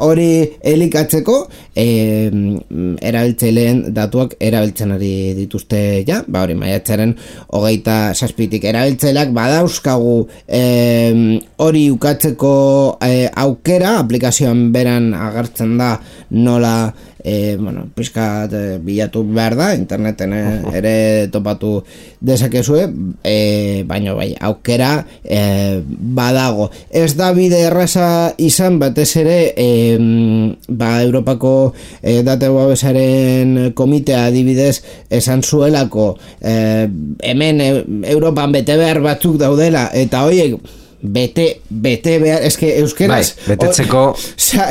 Hori elikatzeko erabiltzaileen datuak erabiltzen ari dituzte ja, hori maiatzaren 27tik erabiltzaileak badauzkagu hori ukatzeko aukera, aplikazioan beran agertzen da nola pizkat bilatu behar da, interneten ere topatu dezakezue, baina bai, aukera badago. Ez da bide erraza izan, batez ere Europako datu babesaren komitea adibidez esan zuelako hemen Europan bete behar batzuk daudela, eta horiek bete behar, eske euskeraz betetzeko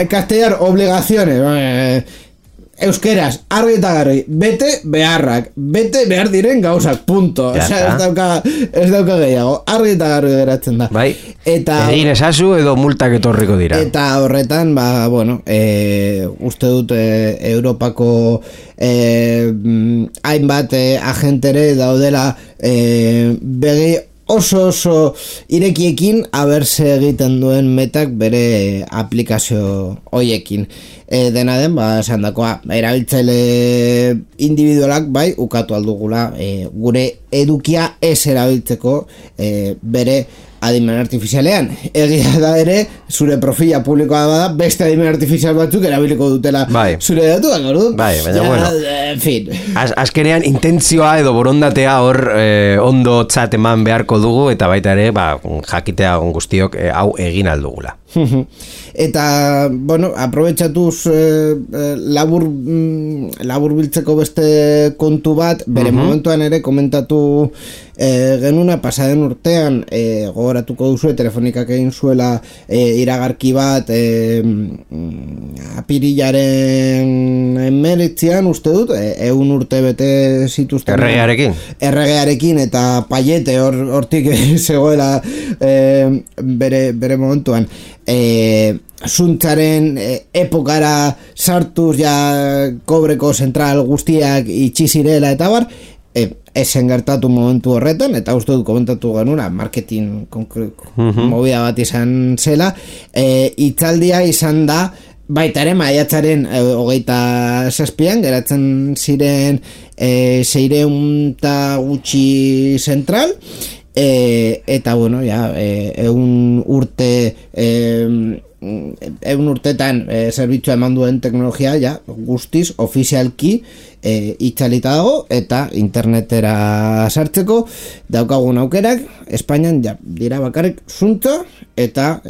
castellar obligaciones euskeraz, argi eta garri, bete behar diren gauzak, punto. Ez dauka gehiago, argi eta garri geratzen da. Bai, egin esazu edo multak etorriko dira. Eta horretan, uste dut Europako hainbat agentere daudela begi oso irekiekin aberse egiten duen Metak bere aplikazio hoiekin. Dena den, esan dakoa, erabiltzaile individualak bai, ukatu aldugula gure edukia ez erabiltzeko bere adimen artifizialean. Egia da ere, zure profila publikoa bada, beste adimen artifizial batzuk erabiliko dutela zure datuak, orduan? Bai, baina bueno. En fin. Azkenean, intentzioa edo borondatea hor ondo txat eman beharko dugu, eta baita ere, jakitea guztiok hau egin aldugula. Eta, aprobetxatuz labur biltzeko beste kontu bat, bere momentuan ere komentatu genuna, pasaden urtean gogoratuko duzu, telefonikak egin zuela iragarki bat apirilaren 19 uste dut, 100 urte bete zituzten erregearekin eta Paiete hortik zegoela bere momentuan zuntzaren epokara sartuz ja kobreko zentral guztiak itxi zirela eta bar, esen gertatu momentu horretan, eta uste dut komentatu genuna marketing movida bat izan zela, hitzaldia izan da baita ere maiatzaren 27an geratzen ziren 600 eta gutxi zentral, eta ja 100 urte 100 urtetan zerbitzua eman duen teknologia ja guztiz ofizialki itzalita dago, eta internetera sartzeko daukagun aukerak Espainian dira bakarrik zuntza eta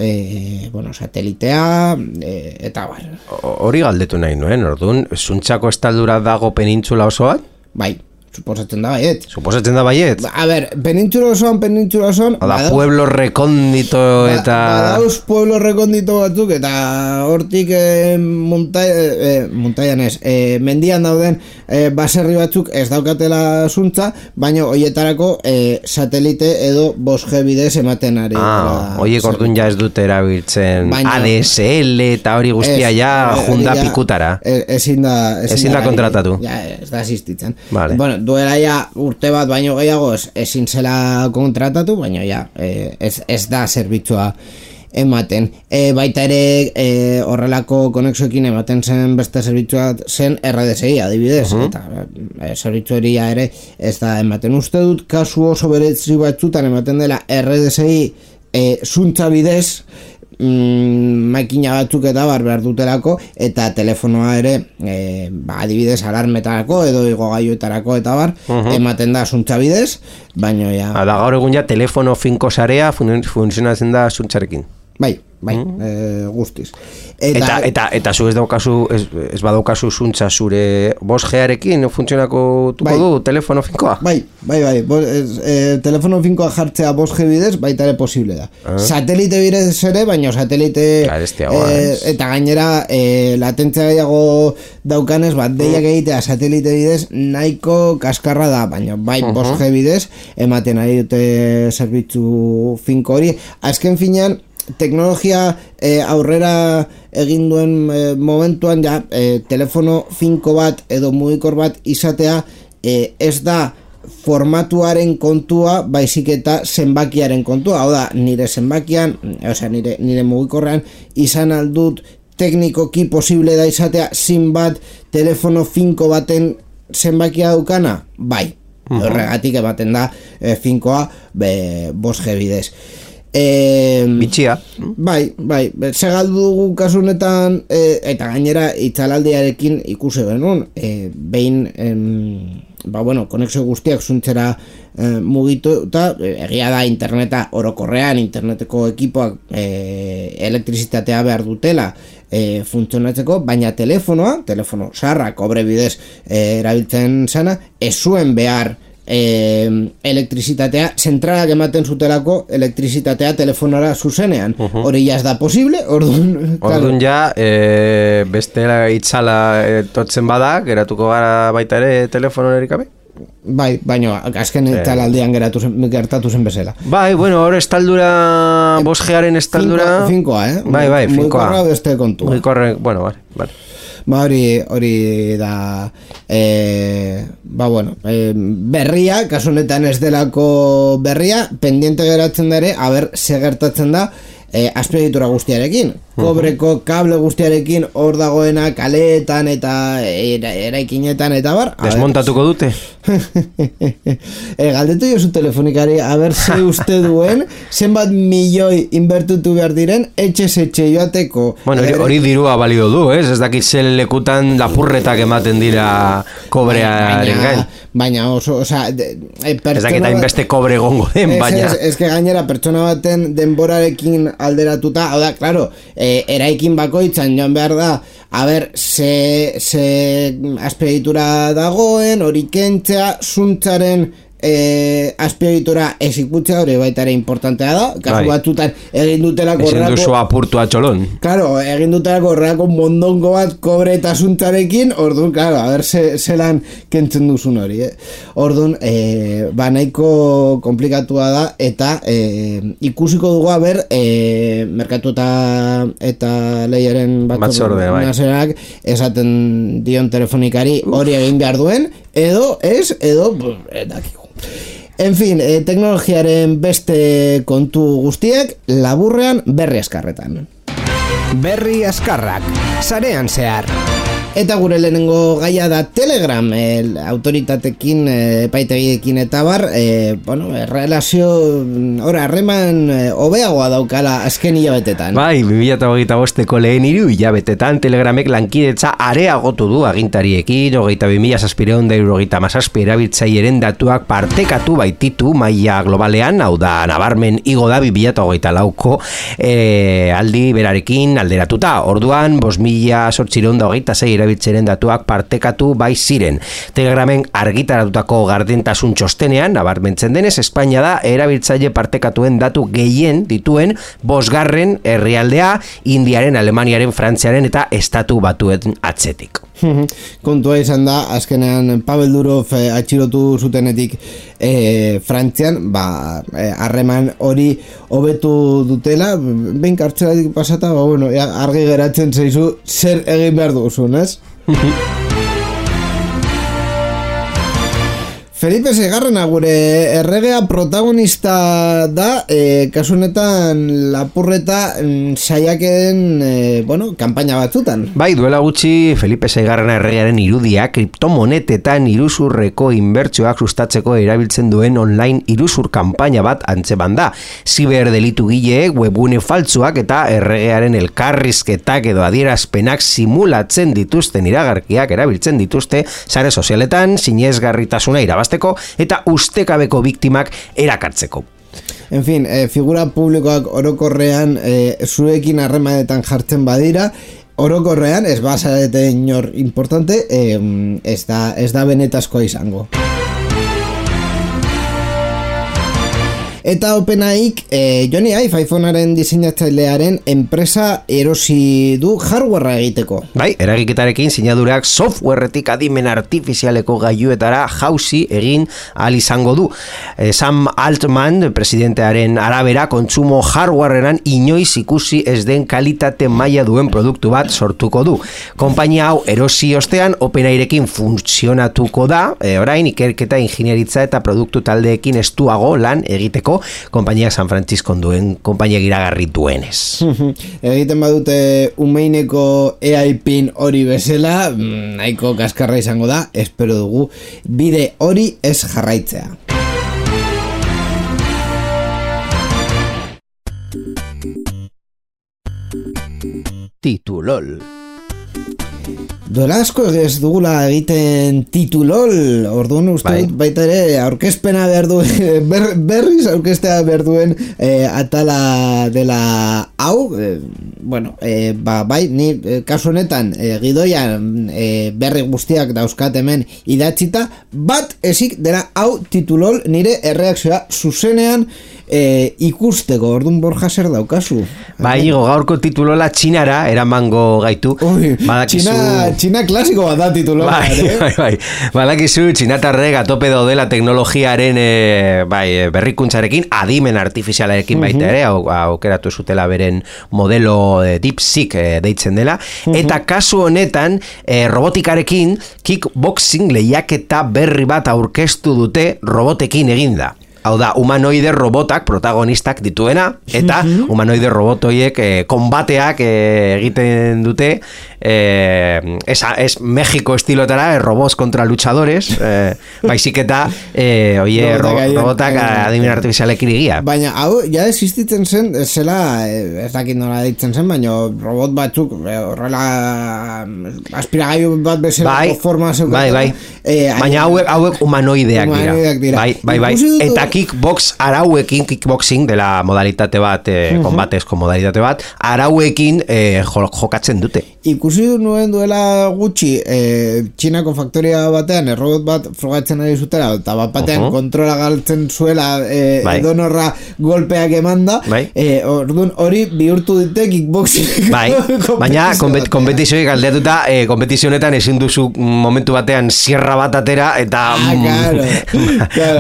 satelitea eta bar. Hori galdetu nahi nuen, orduan zuntzako estaldura dago penintzula osoan? Bai, suposatzen da baiet. A ber, penintzula osoan da pueblo rekondito eta badauz pueblo rekondito batzuk eta hortik montaian ez, mendian dauden baserri batzuk ez daukatela zuntza, baina hoietarako satelite edo 5G bidez ematen ari. Hoiek orduan ja ez dute erabiltzen ADSL eta hori guztia ja junda pikutara. Ezin da kontratatu. Ez da asistitzen. Duela ja urte bat baino gehiago ezin zela kontratatu, baina ja ez da zerbitzua ematen. Baita ere horrelako konexioekin ematen zen beste zerbitzua zen RDSI adibidez, eta zerbitzu hori ere ez da ematen. Uste dut kasu oso berezi batzutan ematen dela RDSI zuntza bidez, makina batzuk eta behar dutelako, eta telefonoa ere adibidez alarmetarako edo igogailuetarako eta ematen da zuntza bidez, baina ja... Da gaur egun ja telefono finko sarea funtzionatzen da zuntzarekin. Bai, guztiz. Eta zu ez badaukazu zuntza zure 5G-arekin funtzionako du telefono finkoa? Bai. Telefono finkoa jartzea 5G bidez baita ere posible da. Satelite bidez ere, baina satelite eta gainera latentzia gehiago daukanez deiak egitea satelite bidez nahiko kaskarra da, baina 5G bidez ematen ari dute zerbitzu finko hori. Azken finean teknologia aurrera egin duen momentuan ja telefono finko bat edo mugikor bat izatea ez da formatuaren kontua, baizik eta zenbakiaren kontua. Hau da, nire zenbakian, nire mugikorrean izan aldut teknikoki posible da izatea zinbat telefono finko baten zenbakia daukana? Bai, horregatik ematen da finkoa 5G bidez. Bitxia. Bai, segaldu dugu kasunetan eta gainera itzalaldiarekin ikusi genuen behin konexio guztiak zuntzera mugitu eta egia da interneta orokorrean interneteko ekipoak elektrizitatea behar dutela funtzionatzeko, baina telefono sarra kobre bidez erabiltzen zena ez zuen behar elektrizitatea, zentralak ematen zutelako elektrizitatea telefonara zuzenean. Hori ja ez da posible, orduan ja bestela itzala totzen bada, geratuko gara baita ere telefono erikabe? Bai, baina azken talaldean gertatu zen bezala. Bai, bueno, hor estaldura 5G-aren estaldura finkoa, Bai, finkoa. Mugikorra beste kontua. Mugikorra, bueno, bai. Hori da berria, kasu honetan ez delako berria, pendiente geratzen da ere, ze gertatzen da azpiegitura guztiarekin. Kobreko kable guztiarekin hor dagoena kaleetan eta eraikinetan eta bar. Desmontatuko dute? Galdetu jozu telefonikari, ze uste duen, zenbat milioi inbertutu behar diren, etxe joateko. Bueno, hori dirua balio du, ez? Ez dakit zel lekutan lapurretak ematen dira kobrearen gain. Baina oso, ez dakit hainbeste kobre gongo den, baina... Ez que gainera pertsona baten denborarekin alderatuta, hau da, klaro, eraikin bakoitzan joan behar da, ze azpiegitura dagoen, hori kentzea, zuntzaren azpiegitura ezikutzea, hori baita ere importantea da, kasu batzutan egin dutelako horrelako... Ezin duzu apurtu atxolon. Claro, egin dutelako horrelako mondongo bat kobre eta zuntzarekin, orduan, claro, zelan kentzen duzun hori, Orduan, nahiko komplikatua da, eta ikusiko dugu, merkatu eta lehiaren batzorde, nazerak esaten dion telefonikari hori egin behar duen, edo dakigu. En fin, teknologiaren beste kontu guztiak laburrean berri askarretan. Berri askarrak, sarean zehar. Eta gure lehenengo gaia da Telegram, autoritatekin, epaitegiekin eta bar, relazio, harreman hobeagoa daukala azken hilabetetan. Bai, 2025ko lehen 3 hilabetetan Telegramek lankidetza areagotu du agintariekin, 22.677 erabiltzaileen datuak partekatu baititu maila globalean, hau da, nabarmen igo da 2024ko aldi berarekin alderatuta. Orduan, 5.826 erabiltzaileen datuak partekatu bai ziren. Telegramen argitaratutako gardentasun txostenean, nabarmentzen denez, Espainia da erabiltzaile partekatuen datu gehien dituen 5. herrialdea, Indiaren, Alemaniaren, Frantziaren eta Estatu Batuen atzetik. Kontua izan da, azkenean Pavel Durov atxilotu zutenetik Frantzian, harreman hori hobetu dutela, behin kartzelatik pasata, argi geratzen zaizu zer egin behar duzun, ez? Felipe Seigarrena gure erregea protagonista da, kasu honetan lapurreta saiakeen, kanpaina batzutan. Bai, duela gutxi Felipe Seigarrena erregearen irudia kriptomonetetan iruzurreko inbertsioak sustatzeko erabiltzen duen online iruzur kanpaina bat antzeman da. Ziberdelitu gileek webgune faltsuak eta erregearen elkarrizketak edo adierazpenak simulatzen dituzten iragarkiak erabiltzen dituzte sare sozialetan sinesgarritasuna irabazteko eta ustekabeko biktimak erakartzeko. En fin, figura publikoak orokorrean zuekin harremanetan jartzen badira, orokorrean ez bazarete inor importante, ez da benetazkoa izango. Eta OpenAIk Jony Ive iPhonearen diseinatzailearen enpresa erosi du hardwarea egiteko. Bai, eragiketarekin sinadurak softwaretik adimen artifizialeko gailuetara jauzi egin ahal izango du. Sam Altman, presidentearen arabera, kontsumo hardwarean inoiz ikusi ez den kalitate maila duen produktu bat sortuko du. Konpainia hau erosi ostean OpenAIrekin funtzionatuko da, orain ikerketa ingineritza eta produktu taldeekin estuago lan egiteko konpainia San Francisco duen konpainia iragarri duenez. Egiten badute umeineko AI pin hori bezala, nahiko kaskarra izango da, espero dugu bide hori ez jarraitzea. Titulol. Duela asko ez dugula egiten titulol, orduan uste dut baita ere aurkezpena behar duen, berriz aurkeztea behar duen atala dela hau, bai, ni kasu honetan gidoian berri guztiak dauzkat hemen idatzita, bat ezik dela hau titulol nire erreakzioa zuzenean ikusteko, orduan Borja zer daukazu? Bai, gaurko titulola txinara eramango gaitu. Txina klasiko bat da titulola. Bai. Badakizu txinatarrek atope daudela teknologiaren berrikuntzarekin, adimen artifizialarekin baita ere, aukeratu zutela beren modelo DeepSeek deitzen dela, eta kasu honetan robotikarekin kickboxing lehiaketa berri bat aurkeztu dute robotekin eginda. Hau da, humanoide robotak protagonistak dituena, eta humanoide robotoiek konbateak egiten dute, es México estilotara, robots contra luchadores, baizik eta robotak adimen artifizialekin egia. Baina, hau, ja existitzen zen, zela, ez dakit nola ditzen zen, baina robot batzuk, horrela, aspiragailu bat bezala forma zeukatzen. Bai. Baina hauek humanoideak dira. Bai. Eta kickboxing dela modalitate bat, konbatezko modalitate bat, arauekin jokatzen dute. Ikusi nuen duela gutxi Txinako faktoria batean robot bat frogatzen ari zutela, eta bat batean kontrola galtzen zuela edonorra golpeak emanda, orduan hori bihurtu dute kickboxing. Bai, baina kompetizioik aldeatuta, kompetizionetan ezin duzu momentu batean sierra bat atera eta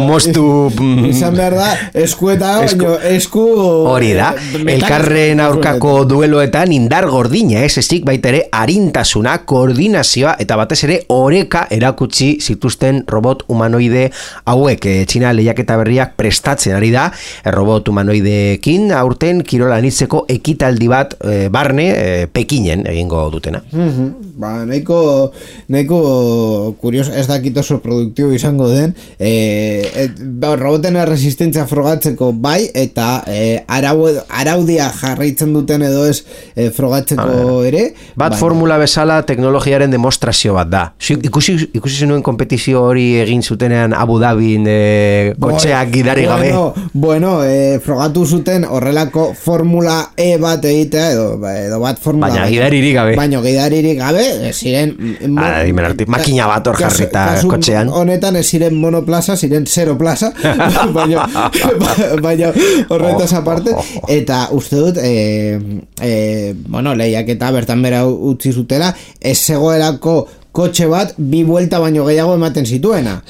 moztu izan behar da, esku hori da, elkarren aurkako dueloetan indar gordina, ezik baita ere arintasuna, koordinazioa eta batez ere oreka erakutsi zituzten robot humanoide hauek. Txina lehiaketa berriak prestatzen ari da, robot humanoideekin aurten kirola anitzeko ekitaldi bat barne Pekinen egingo dutena. Nahiko kurios, ez dakit oso produktibo izango den, roboten resistentzia frogatzeko bai, eta araudia jarraitzen duten edo ez frogatzeko ere. Bat formula bezala teknologiaren demostrazio bat da. Ikusi zenuen kompetizio hori egin zutenean Abu Dhabin kotxeak gidari gabe. Frogatu zuten horrelako formula E bat egitea edo bat formula. Baina gidaririk gabe. Baina gidaririk gabe, ziren makina bat hor jarrita kotxean. Honetan ez ziren monoplaza, ziren zero plaza, baina horretaz aparte, eta uste dut lehiak eta bertan bera utzi zutela, ez zegoelako kotxe bat bi buelta baino gehiago ematen zituena.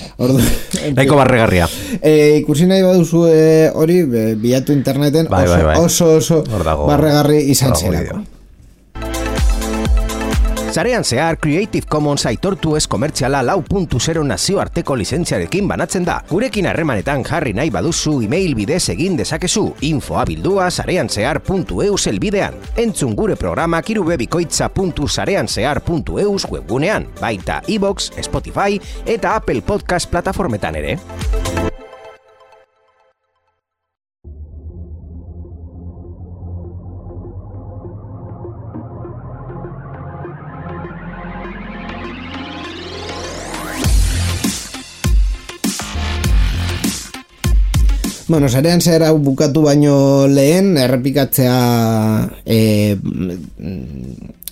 Nahiko barregarria. Ikusi nahi baduzu hori, bilatu interneten, oso barregarri izan zelako. Sarean zehar Creative Commons aitortu ez komertziala 4.0 nazioarteko lizentziarekin banatzen da. Gurekin harremanetan jarri nahi baduzu email bidez egin dezakezu info@sareanzehar.eus helbidean. Entzun gure programak irubebikoitza.sareanzehar.eus webgunean, baita iVoox, Spotify eta Apple Podcast plataformetan ere. Bueno, Sarean Zehar hau bukatu baino lehen, errepikatzea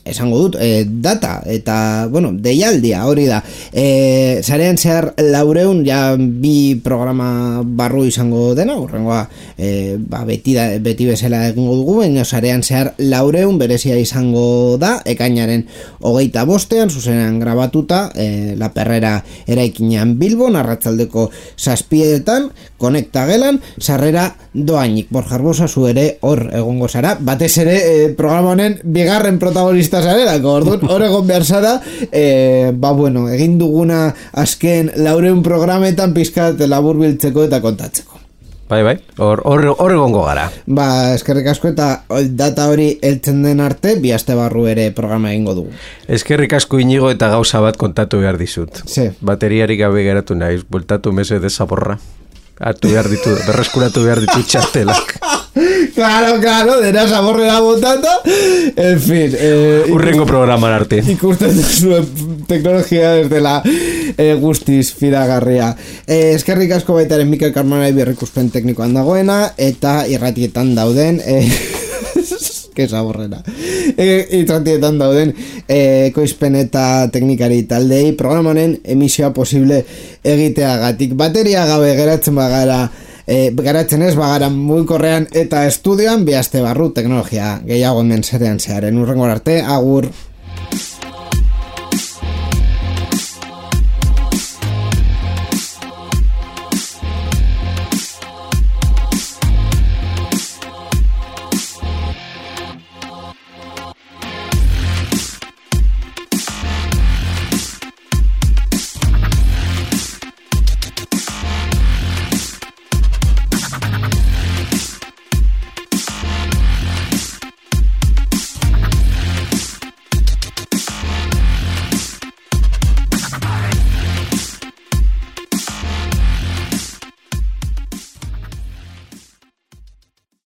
esango dut, data, eta, bueno, deialdia, hori da. Sarean Zehar 400, ja bi programa barru izango dena, urrengoa, beti bezala egingo dugu, baina Sarean Zehar 400 berezia izango da, ekainaren 25ean, zuzenean grabatuta, La Perrera eraikinean Bilbon, arratsaldeko 7etan, konekta gelan, sarrera doainik. Borja Arbosa, zu ere hor egongo zara, batez ere programa honen bigarren protagonista zarelako, orduan hor egon behar zara, bueno, egin duguna azken 400 programetan pizkat labur biltzeko eta kontatzeko. Bai, hor egongo gara. Eskerrik asko eta data hori heltzen den arte, bi aste barru ere programa egingo dugu. Eskerrik asko Inigo eta gauza bat kontatu behar dizut. Sí. Bateriarik gabe geratu naiz, bultatu mese de zaborra. Berreskuratu behar ditu txartelak. Claro, dena zaborrera botata. En fin. Urrengo programan arte. Ikusten zuen teknologia desde la guztiz fidagarria. Eskerrik asko baitaren Mikel Carmona berrikuspen teknikoan dagoena, eta irratietan dauden... que zaborrera. Irratietan dauden ekoizpen eta teknikari taldei programanen emisioa posible egiteagatik. Bateria gabe geratzen ez bagara mugikorrean eta estudioan, bi aste barru teknologia gehiago hemen Sarean Zeharen. Urrengor arte, agur.